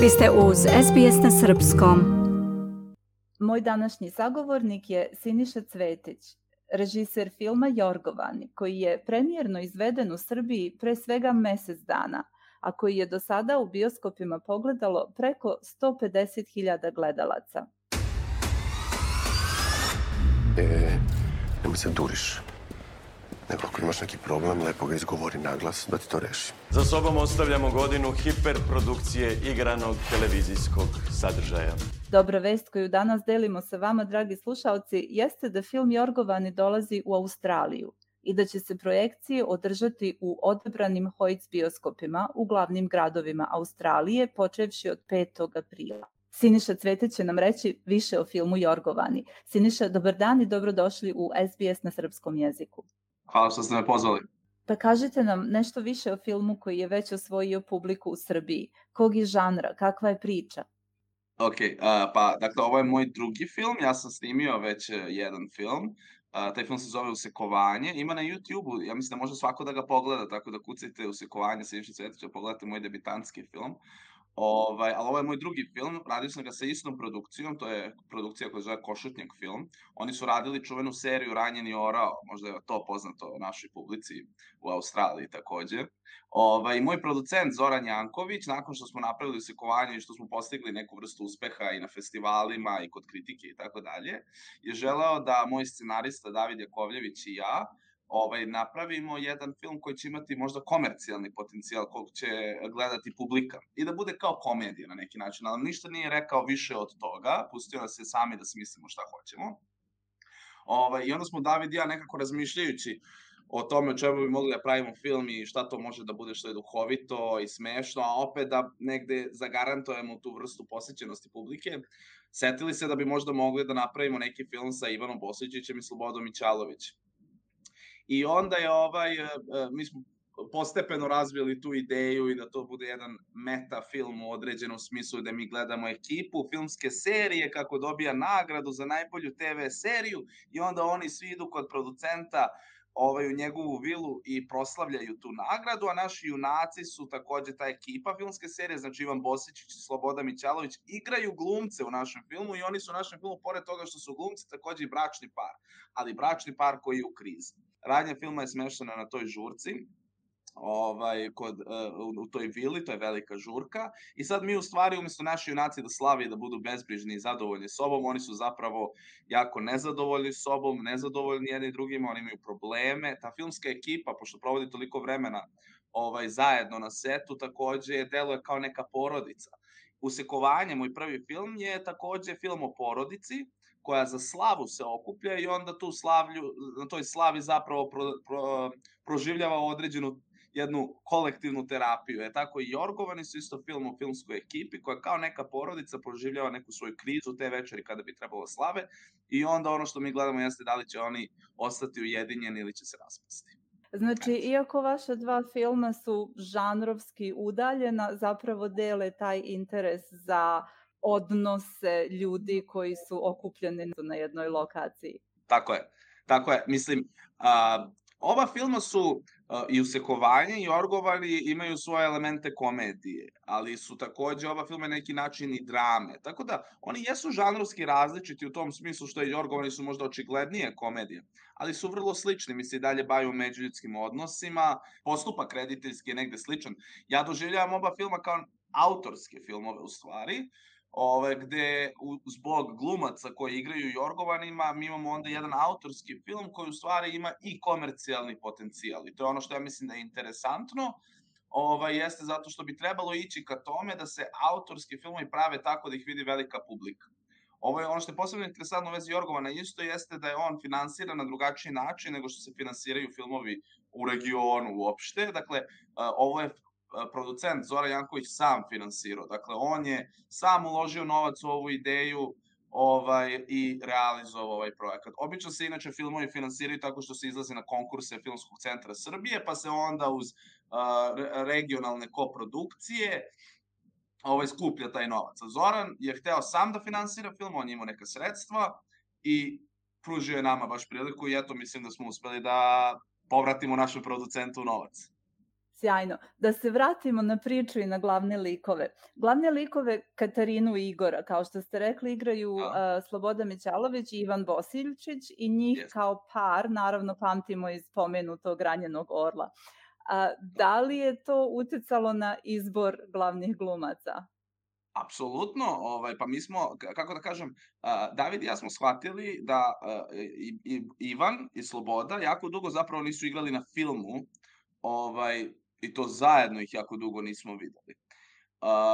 Vi ste uz SBS na Srpskom. Moj današnji sagovornik je Siniša Cvetić, režiser filma Jorgovani, koji je premijerno izveden u Srbiji pre svega mesec dana, a koji je do sada u bioskopima pogledalo preko 150.000 gledalaca. Nemoj se duriš. Nego ako imaš neki problem, lepo ga izgovori naglas da ti to reši. Za sobom ostavljamo godinu hiperprodukcije igranog televizijskog sadržaja. Dobra vest koju danas delimo sa vama, dragi slušaoci, jeste da film Jorgovani dolazi u Australiju i da će se projekcije održati u odabranim Hoyts bioskopima u glavnim gradovima Australije, počevši od 5. aprila. Siniša Cvetić će nam reći više o filmu Jorgovani. Siniša, dobar dan i dobrodošli u SBS na srpskom jeziku. Hvala što ste me pozvali. Pa kažite nam nešto više o filmu koji je već osvojio publiku u Srbiji. Kog je žanra? Kakva je priča? Pa dakle ovo je moj drugi film, ja sam snimio već jedan film. Taj film se zove Usekovanje, ima na YouTube-u, ja mislim da može svako da ga pogleda, tako da kucajte Usekovanje Siniše Cvetića, pogledajte moj debitanski film. Ali ovo je moj drugi film, radio sam ga sa istom produkcijom, to je produkcija koja se zove Košutnjak film. Oni su radili čuvenu seriju Ranjeni orao, možda je to poznato našoj publici u Australiji takođe. I moj producent Zoran Janković, nakon što smo napravili Usekovanje i što smo postigli neku vrstu uspeha i na festivalima i kod kritike i tako dalje, je želeo da moj scenarista David Jakovljević i ja napravimo jedan film koji će imati možda komercijalni potencijal kog će gledati publika i da bude kao komedija na neki način, ali ništa nije rekao više od toga, pustio nas je sami da smislimo šta hoćemo. I onda smo David i ja nekako razmišljajući o tome o čemu bi mogli da pravimo film i šta to može da bude što je duhovito i smešno, a opet da negde zagarantujemo tu vrstu posvećenosti publike, setili se da bi možda mogli da napravimo neki film sa Ivanom Boslićićem i Slobodom Mićalović. I onda je mi smo postepeno razvili tu ideju i da to bude jedan meta film u određenom smislu, da mi gledamo ekipu filmske serije kako dobija nagradu za najbolju TV seriju i onda oni svi idu kod producenta u njegovu vilu i proslavljaju tu nagradu, a naši junaci su takođe ta ekipa filmske serije, znači Ivan Bosičić i Sloboda Mićalović, igraju glumce u našem filmu i oni su u našem filmu, pored toga što su glumci, takođe i bračni par, ali bračni par koji je u krizi. Radnja filma je smeštena na toj žurci, u toj vili, to je velika žurka, i sad mi u stvari umjesto naši junaci da slave i da budu bezbrižni i zadovoljni sobom, oni su zapravo jako nezadovoljni sobom, nezadovoljni jedni i drugima, oni imaju probleme. Ta filmska ekipa, pošto provodi toliko vremena zajedno na setu, takođe deluje kao neka porodica. Usekovanje, moj prvi film, je takođe film o porodici koja za slavu se okuplja i onda na toj slavi zapravo proživljava određenu jednu kolektivnu terapiju. Tako i Jorgovani su isto film o filmskoj ekipi koja kao neka porodica proživljava neku svoju krizu te večeri kada bi trebalo slave i onda ono što mi gledamo jeste da li će oni ostati ujedinjeni ili će se raspasti. Znači, iako vaša dva filma su žanrovski udaljena, zapravo dele taj interes za odnose ljudi koji su okupljeni na jednoj lokaciji. Tako je. Mislim, oba filma su i Usekovanje i Jorgovani imaju svoje elemente komedije, ali su takođe oba filma na neki način i drame. Tako da oni jesu žanrovski različiti u tom smislu što i Jorgovani su možda očiglednije komedije, ali su vrlo slični. Mi se i dalje bavimo međuljudskim odnosima, postupak rediteljski je negde sličan. Ja doživljavam oba filma kao autorske filmove u stvari, gde zbog glumaca koji igraju Jorgovanima mi imamo onda jedan autorski film koji u stvari ima i komercijalni potencijal i to je ono što ja mislim da je interesantno, jeste zato što bi trebalo ići ka tome da se autorski filmovi prave tako da ih vidi velika publika. Ono što je posebno interesantno u vezi Jorgovana isto jeste da je on finansiran na drugačiji način nego što se finansiraju filmovi u regionu uopšte, dakle ovo je producent Zoran Janković sam finansirao. Dakle, on je sam uložio novac u ovu ideju i realizovao ovaj projekat. Obično se inače filmovi finansiraju tako što se izlaze na konkurse Filmskog centra Srbije, pa se onda uz regionalne koprodukcije skuplja taj novac. Zoran je hteo sam da finansira film, on je imao neka sredstva i pružio je nama baš priliku i eto mislim da smo uspeli da povratimo našem producentu novac. Sjajno. Da se vratimo na priču i na glavne likove. Glavne likove Katarinu i Igora, kao što ste rekli, igraju Sloboda Mićalović i Ivan Bosiljčić i njih kao par, naravno, pamtimo iz pomenutog Ranjenog orla. Da li je to uticalo na izbor glavnih glumaca? Apsolutno, pa mi smo, kako da kažem, David i ja smo shvatili da Ivan i Sloboda jako dugo zapravo nisu igrali na filmu, i to zajedno ih jako dugo nismo videli.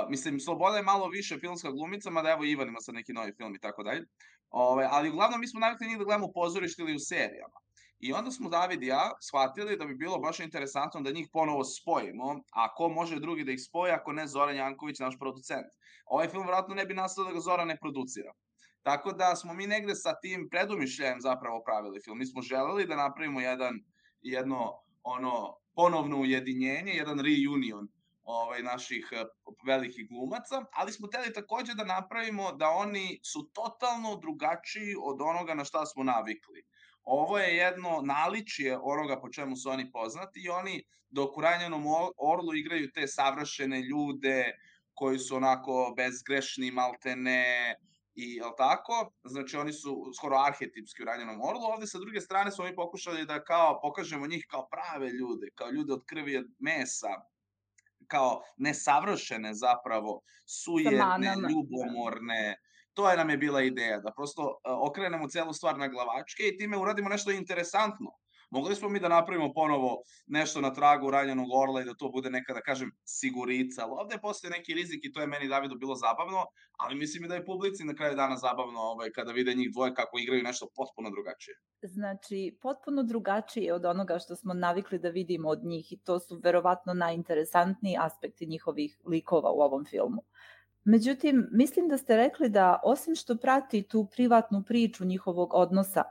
Mislim, Sloboda je malo više filmska glumica, mada evo Ivan ima sad neki novi film i tako dalje, ali uglavnom mi smo navikli njih da gledamo u pozorištu ili u serijama. I onda smo David i ja shvatili da bi bilo baš interesantno da njih ponovo spojimo, a ko može drugi da ih spoji ako ne Zoran Janković, naš producent. Ovaj film vjerojatno ne bi nastao da ga Zoran ne producira. Tako da smo mi negde sa tim predumišljajem zapravo pravili film. Mi smo želeli da napravimo jedno ponovno ujedinjenje, jedan reunion naših velikih glumaca, ali smo hteli takođe da napravimo da oni su totalno drugačiji od onoga na šta smo navikli. Ovo je jedno naličje onoga po čemu su oni poznati i oni dok u Ranjenom orlu igraju te savršene ljude koji su onako bezgrešni, maltene, i jel tako? Znači oni su skoro arhetipski u Ranjenom orlu, ovde sa druge strane smo mi pokušali da kao pokažemo njih kao prave ljude, kao ljude od krvi i od mesa, kao nesavršene zapravo, sujedne, ljubomorne. To nam je bila ideja, da prosto okrenemo celu stvar na glavačke i time uradimo nešto interesantno. Mogli smo mi da napravimo ponovo nešto na tragu Ranjenog orla i da to bude neka, da kažem, sigurica, ali ovde postoje neki rizik i to je meni, Davidu, bilo zabavno, ali mislim i da je publici na kraju dana zabavno kada vide njih dvoje kako igraju nešto potpuno drugačije. Znači, potpuno drugačije od onoga što smo navikli da vidimo od njih i to su verovatno najinteresantniji aspekti njihovih likova u ovom filmu. Međutim, mislim da ste rekli da osim što prati tu privatnu priču njihovog odnosa,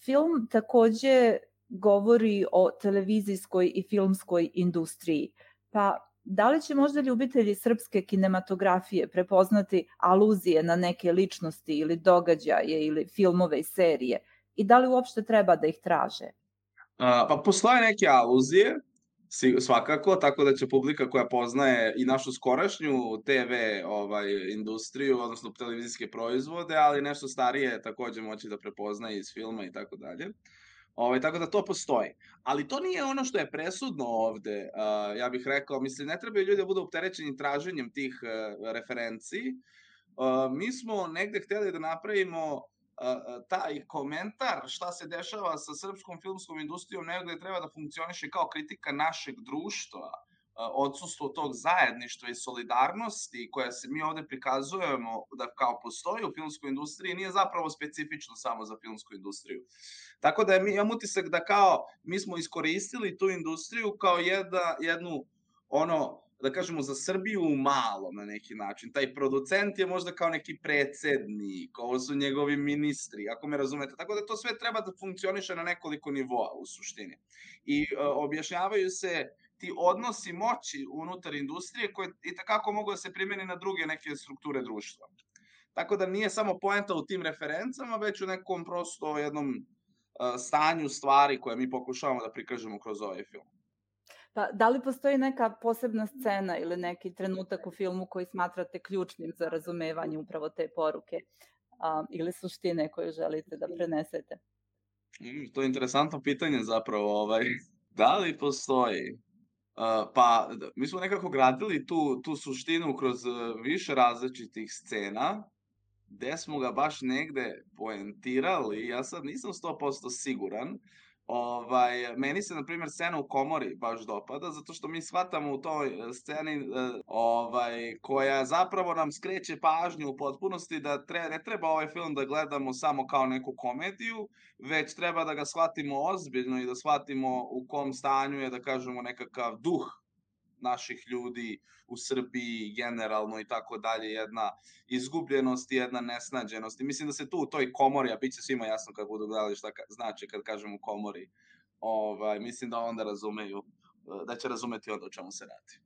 film takođe govori o televizijskoj i filmskoj industriji. Pa da li će možda ljubitelji srpske kinematografije prepoznati aluzije na neke ličnosti ili događaje ili filmove i serije i da li uopšte treba da ih traže? Pa postoje neke aluzije, svakako, tako da će publika koja poznaje i našu skorašnju TV industriju, odnosno televizijske proizvode, ali nešto starije takođe moći da prepoznaje iz filma i tako dalje. Tako da to postoji. Ali to nije ono što je presudno ovde, ja bih rekao, mislim, ne trebaju ljudi da budu opterećeni traženjem tih referenciji. Mi smo negde hteli da napravimo taj komentar šta se dešava sa srpskom filmskom industrijom negde treba da funkcioniše kao kritika našeg društva, odsustvo tog zajedništva i solidarnosti koja se mi ovde prikazujemo da kao postoji u filmskoj industriji nije zapravo specifično samo za filmsku industriju. Tako da imam utisak da kao mi smo iskoristili tu industriju kao jednu da kažemo za Srbiju u malom na neki način. Taj producent je možda kao neki predsednik, ovo su njegovi ministri, ako me razumete. Tako da to sve treba da funkcioniše na nekoliko nivoa u suštini. I objašnjavaju se ti odnosi moći unutar industrije koje i takako mogu da se primeni na druge neke strukture društva. Tako da nije samo poenta u tim referencama, već u nekom prosto jednom stanju stvari koje mi pokušavamo da prikažemo kroz ovaj film. Pa, da li postoji neka posebna scena ili neki trenutak u filmu koji smatrate ključnim za razumevanje upravo te poruke ili suštine koju želite da prenesete? To je interesantno pitanje zapravo. Da li postoji? Pa, mi smo nekako gradili tu suštinu kroz više različitih scena, gde smo ga baš negde poentirali, ja sad nisam 100% siguran. Meni se, na primjer, scena u komori baš dopada, zato što mi shvatamo u toj sceni koja zapravo nam skreće pažnju u potpunosti da ne treba ovaj film da gledamo samo kao neku komediju, već treba da ga shvatimo ozbiljno i da shvatimo u kom stanju je, da kažemo, nekakav duh naših ljudi u Srbiji generalno i tako dalje, jedna izgubljenost i jedna nesnađenost. I mislim da se tu u toj komori, a bit će svima jasno kad budu gledali šta znači kad kažem u komori, mislim da onda razumeju, da će razumeti onda o čemu se radi.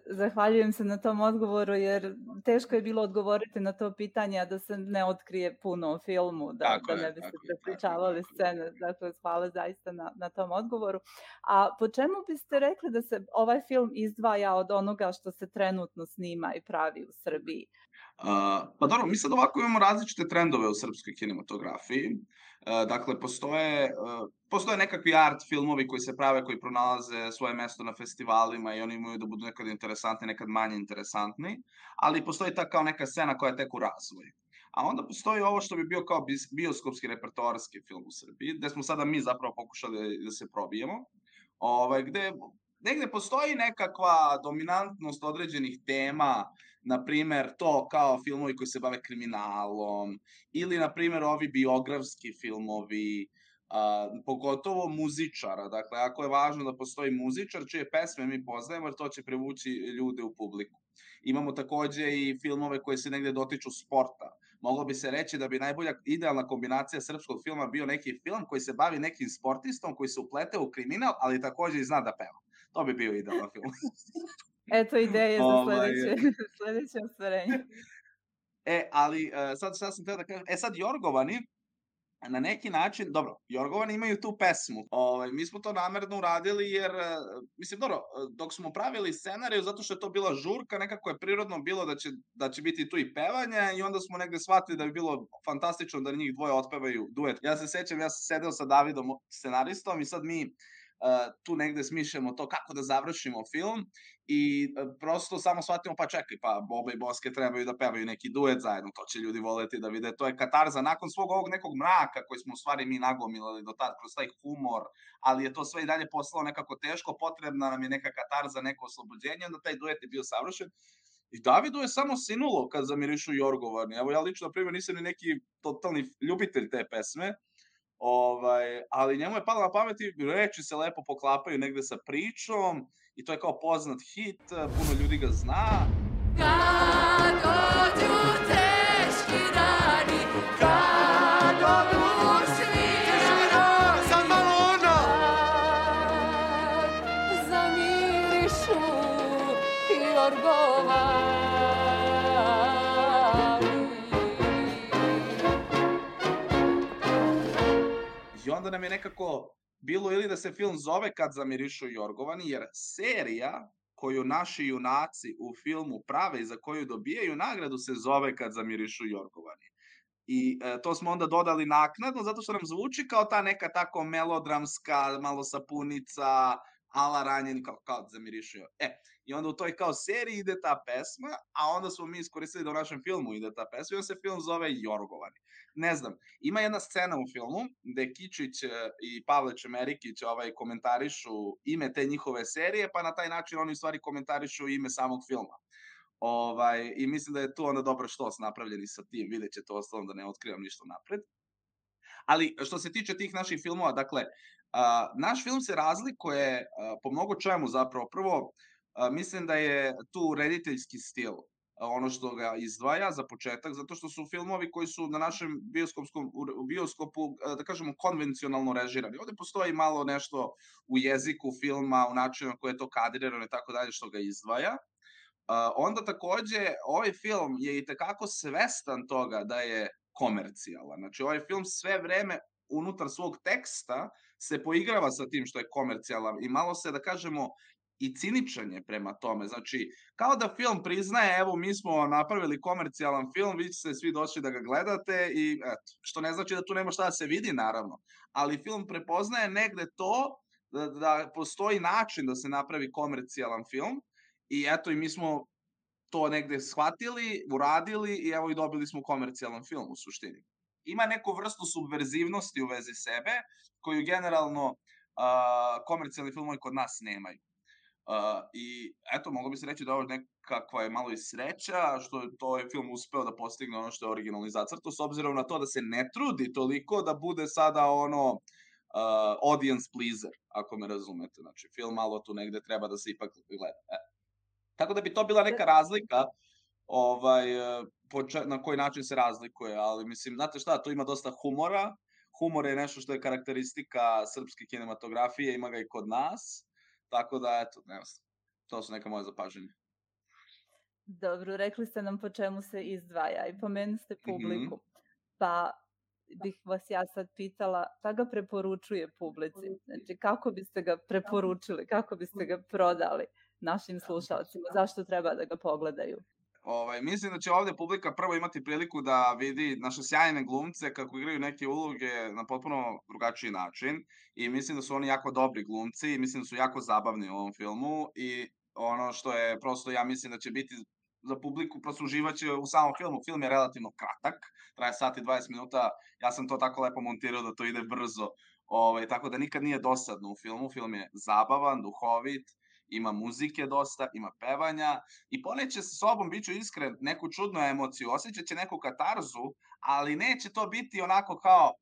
Zahvaljujem se na tom odgovoru jer teško je bilo odgovoriti na to pitanje, a da se ne otkrije puno o filmu, da ne biste prepričavali scene. Dakle, hvala zaista na tom odgovoru. A po čemu biste rekli da se ovaj film izdvaja od onoga što se trenutno snima i pravi u Srbiji? Pa dobro, mi sad ovako imamo različite trendove u srpskoj kinematografiji. Dakle, postoje nekakvi art filmovi koji se prave, koji pronalaze svoje mesto na festivalima i oni imaju da budu nekad interesantni, nekad manje interesantni, ali postoji ta kao neka scena koja je tek u razvoju. A onda postoji ovo što bi bio kao bioskopski repertoarski film u Srbiji, gde smo sada mi zapravo pokušali da se probijemo, gde negde postoji nekakva dominantnost određenih tema, na primer to kao filmovi koji se bave kriminalom, ili na primer ovi biografski filmovi, pogotovo muzičara. Dakle, ako je važno da postoji muzičar čije pesme mi poznajemo, jer to će privući ljude u publiku. Imamo takođe i filmove koji se negde dotiču sporta. Moglo bi se reći da bi najbolja idealna kombinacija srpskog filma bio neki film koji se bavi nekim sportistom koji se uplete u kriminal, ali takođe i zna da peva. To bi bio idealan film. Eto ideje za sledeće ostvarenje. Ali sad šta sam teo da kažem, sad Jorgovani, na neki način, dobro, Jorgovani imaju tu pesmu. Mi smo to namerno uradili jer, mislim, dobro, dok smo pravili scenariju, zato što je to bila žurka, nekako je prirodno bilo da će biti tu i pevanje i onda smo negde shvatili da bi bilo fantastično da njih dvoje otpevaju duet. Ja se sećam, ja sam sedeo sa Davidom, scenaristom, i sad mi tu negde smišljamo to kako da završimo film i prosto samo shvatimo, pa čekaj, pa Boba i Boske trebaju da pevaju neki duet zajedno, to će ljudi voleti da vide, to je katarza nakon svog ovog nekog mraka koji smo u stvari mi nagomilali do tad kroz taj humor, ali je to sve i dalje postalo nekako teško, potrebna nam je neka katarza, neko oslobođenje, onda taj duet je bio savršen. I Davidu je samo sinulo kad zamirišu Jorgovani. Evo, ja lično, na primjer, nisam ni neki totalni ljubitelj te pesme, ali njemu je palo na pamet i reči se lepo poklapaju negde sa pričom i to je kao poznat hit, puno ljudi ga zna. Kad dođu teški dani, kad odu svira, sad malo ona! Kad zamirišu Jorgovani. I onda nam je nekako bilo ili da se film zove Kad zamirišu Jorgovani, jer serija koju naši junaci u filmu prave i za koju dobijaju nagradu se zove Kad zamirišu Jorgovani. I to smo onda dodali naknadno, zato što nam zvuči kao ta neka tako melodramska, malo sapunica, ala ranjen, kao zamirišu Jorgovani. I onda u toj kao seriji ide ta pesma, a onda smo mi iskoristili da u našem filmu ide ta pesma i onda se film zove Jorgovani. Ne znam, ima jedna scena u filmu gde Kičić i Pavle Čemerikić komentarišu ime te njihove serije, pa na taj način oni u stvari komentarišu ime samog filma. I mislim da je tu onda dobro štos napravljeni sa tim, vidjet ćete ostalom da ne otkrivam ništa napred. Ali što se tiče tih naših filmova, dakle, naš film se razlikuje po mnogo čemu zapravo. Prvo, mislim da je tu rediteljski stil ono što ga izdvaja za početak, zato što su filmovi koji su na našem bioskopu, da kažemo, konvencionalno režirani. Ovde postoji malo nešto u jeziku filma, u načinu na koje je to kadrirano i tako dalje što ga izdvaja. Onda takođe, ovaj film je i tekako svestan toga da je komercijalan. Znači, ovaj film sve vreme unutar svog teksta se poigrava sa tim što je komercijalan i malo se, da kažemo, i ciničan je prema tome. Znači, kao da film priznaje, evo, mi smo napravili komercijalan film, vi ste svi došli da ga gledate i eto, što ne znači da tu nema šta da se vidi, naravno, ali film prepoznaje negde to da postoji način da se napravi komercijalan film i eto, i mi smo to negde shvatili, uradili i evo i dobili smo komercijalan film u suštini. Ima neku vrstu subverzivnosti u vezi sebe, koju generalno komercijalni filmovi kod nas nemaju. I eto, moglo bi se reći da ovo nekakva je malo i sreća, što je to film uspeo da postigne ono što je originalni zacrto, s obzirom na to da se ne trudi toliko da bude sada ono audience pleaser, ako me razumete. Znači, film malo tu negde treba da se ipak gleda. Tako da bi to bila neka razlika na koji način se razlikuje, ali mislim, znate šta, tu ima dosta humora. Humor je nešto što je karakteristika srpske kinematografije, ima ga i kod nas. Tako da, eto, ne znam, to su neka moja zapažanja. Dobro, rekli ste nam po čemu se izdvaja i pomenuli ste publiku. Pa bih vas ja sad pitala šta ga preporučuje publici? Znači, kako biste ga preporučili, kako biste ga prodali našim slušalcima? Zašto treba da ga pogledaju? Mislim da će ovdje publika prvo imati priliku da vidi naše sjajne glumce kako igraju neke uloge na potpuno drugačiji način i mislim da su oni jako dobri glumci i mislim da su jako zabavni u ovom filmu i ono što je prosto, ja mislim da će biti za publiku, prosto uživaće u samom filmu. Film je relativno kratak, traje sat i 20 minuta, ja sam to tako lepo montirao da to ide brzo, tako da nikad nije dosadno u filmu. Film je zabavan, duhovit, ima muzike dosta, ima pevanja i poneće sa sobom, bit ću iskren, neku čudnu emociju, osjećat će neku katarzu, ali neće to biti onako kao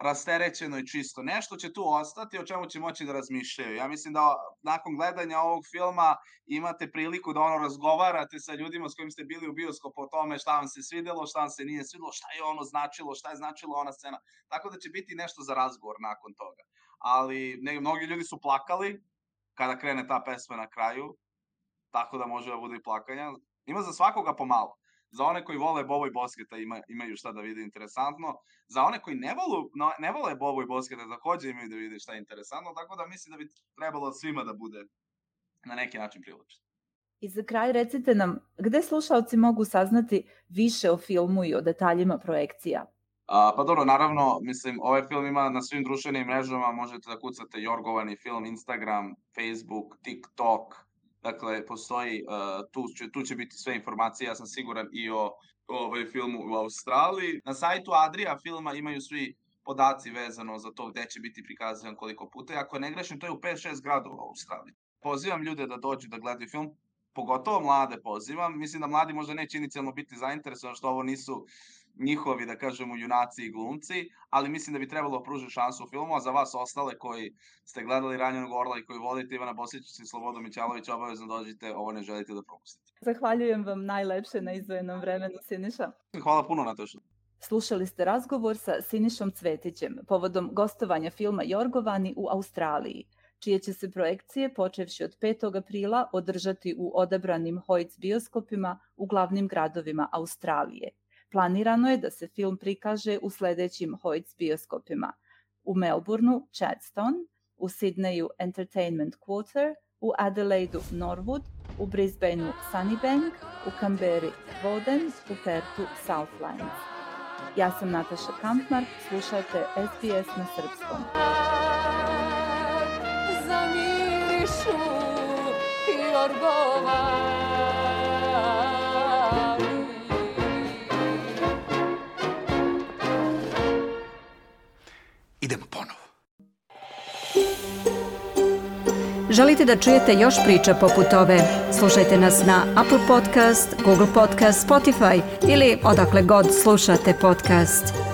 rasterećeno i čisto. Nešto će tu ostati o čemu će moći da razmišljaju. Ja mislim da nakon gledanja ovog filma imate priliku da razgovarate sa ljudima s kojim ste bili u bioskopu o tome šta vam se svidelo, šta vam se nije svidelo, šta je ono značilo, šta je značilo ona scena. Tako da će biti nešto za razgovor nakon toga. Ali mnogi ljudi su plakali kada krene ta pesma na kraju, tako da može da bude i plakanja. Ima za svakoga pomalo. Za one koji vole Bobo i Bosketa imaju šta da vide interesantno. Za one koji ne vole Bobo i Bosketa također imaju da vide šta je interesantno, tako da mislim da bi trebalo svima da bude na neki način privlačno. I za kraj recite nam, gde slušalci mogu saznati više o filmu i o detaljima projekcija? Pa dobro, naravno, mislim, ovaj film ima na svim društvenim mrežama, možete da kucate Jorgovani film, Instagram, Facebook, TikTok, dakle, postoji, tu će biti sve informacije, ja sam siguran i o filmu u Australiji. Na sajtu Adria filma imaju svi podaci vezano za to gde će biti prikazan koliko puta. Ako ne grešim, to je u 5-6 gradova u Australiji. Pozivam ljude da dođu da gledaju film, pogotovo mlade pozivam. Mislim da mladi možda neće inicijalno biti zainteresovani što ovo nisu njihovi, da kažemo, junaci i glumci, ali mislim da bi trebalo pružiti šansu u filmu, a za vas ostale koji ste gledali Ranjenog orla i koji volite Ivana Bosičića i Slobodu Mićalovića, obavezno dođite, ovo ne želite da propustite. Zahvaljujem vam najlepše na izdvojenom vremenu, Siniša. Hvala puno, Nataša. Slušali ste razgovor sa Sinišom Cvetićem povodom gostovanja filma Jorgovani u Australiji, čije će se projekcije počevši od 5. aprila održati u odabranim Hoyts bioskopima u glavnim gradovima Australije. Planirano je da se film prikaže u sledećim Hoyts bioskopima: u Melbourneu Chadstone, u Sydneyu Entertainment Quarter, u Adelaidu Norwood, u Brisbaneu Sunnybank, u Canberri Woden, u Perthu Southlands. Ja sam Nataša Kampmark, slušajte SBS na srpskom. Zamirišu Jorgovani. Idemo ponovo. Želite da čujete još priča poput ove? Slušajte nas na Apple Podcast, Google Podcast, Spotify ili odakle god slušate podcast.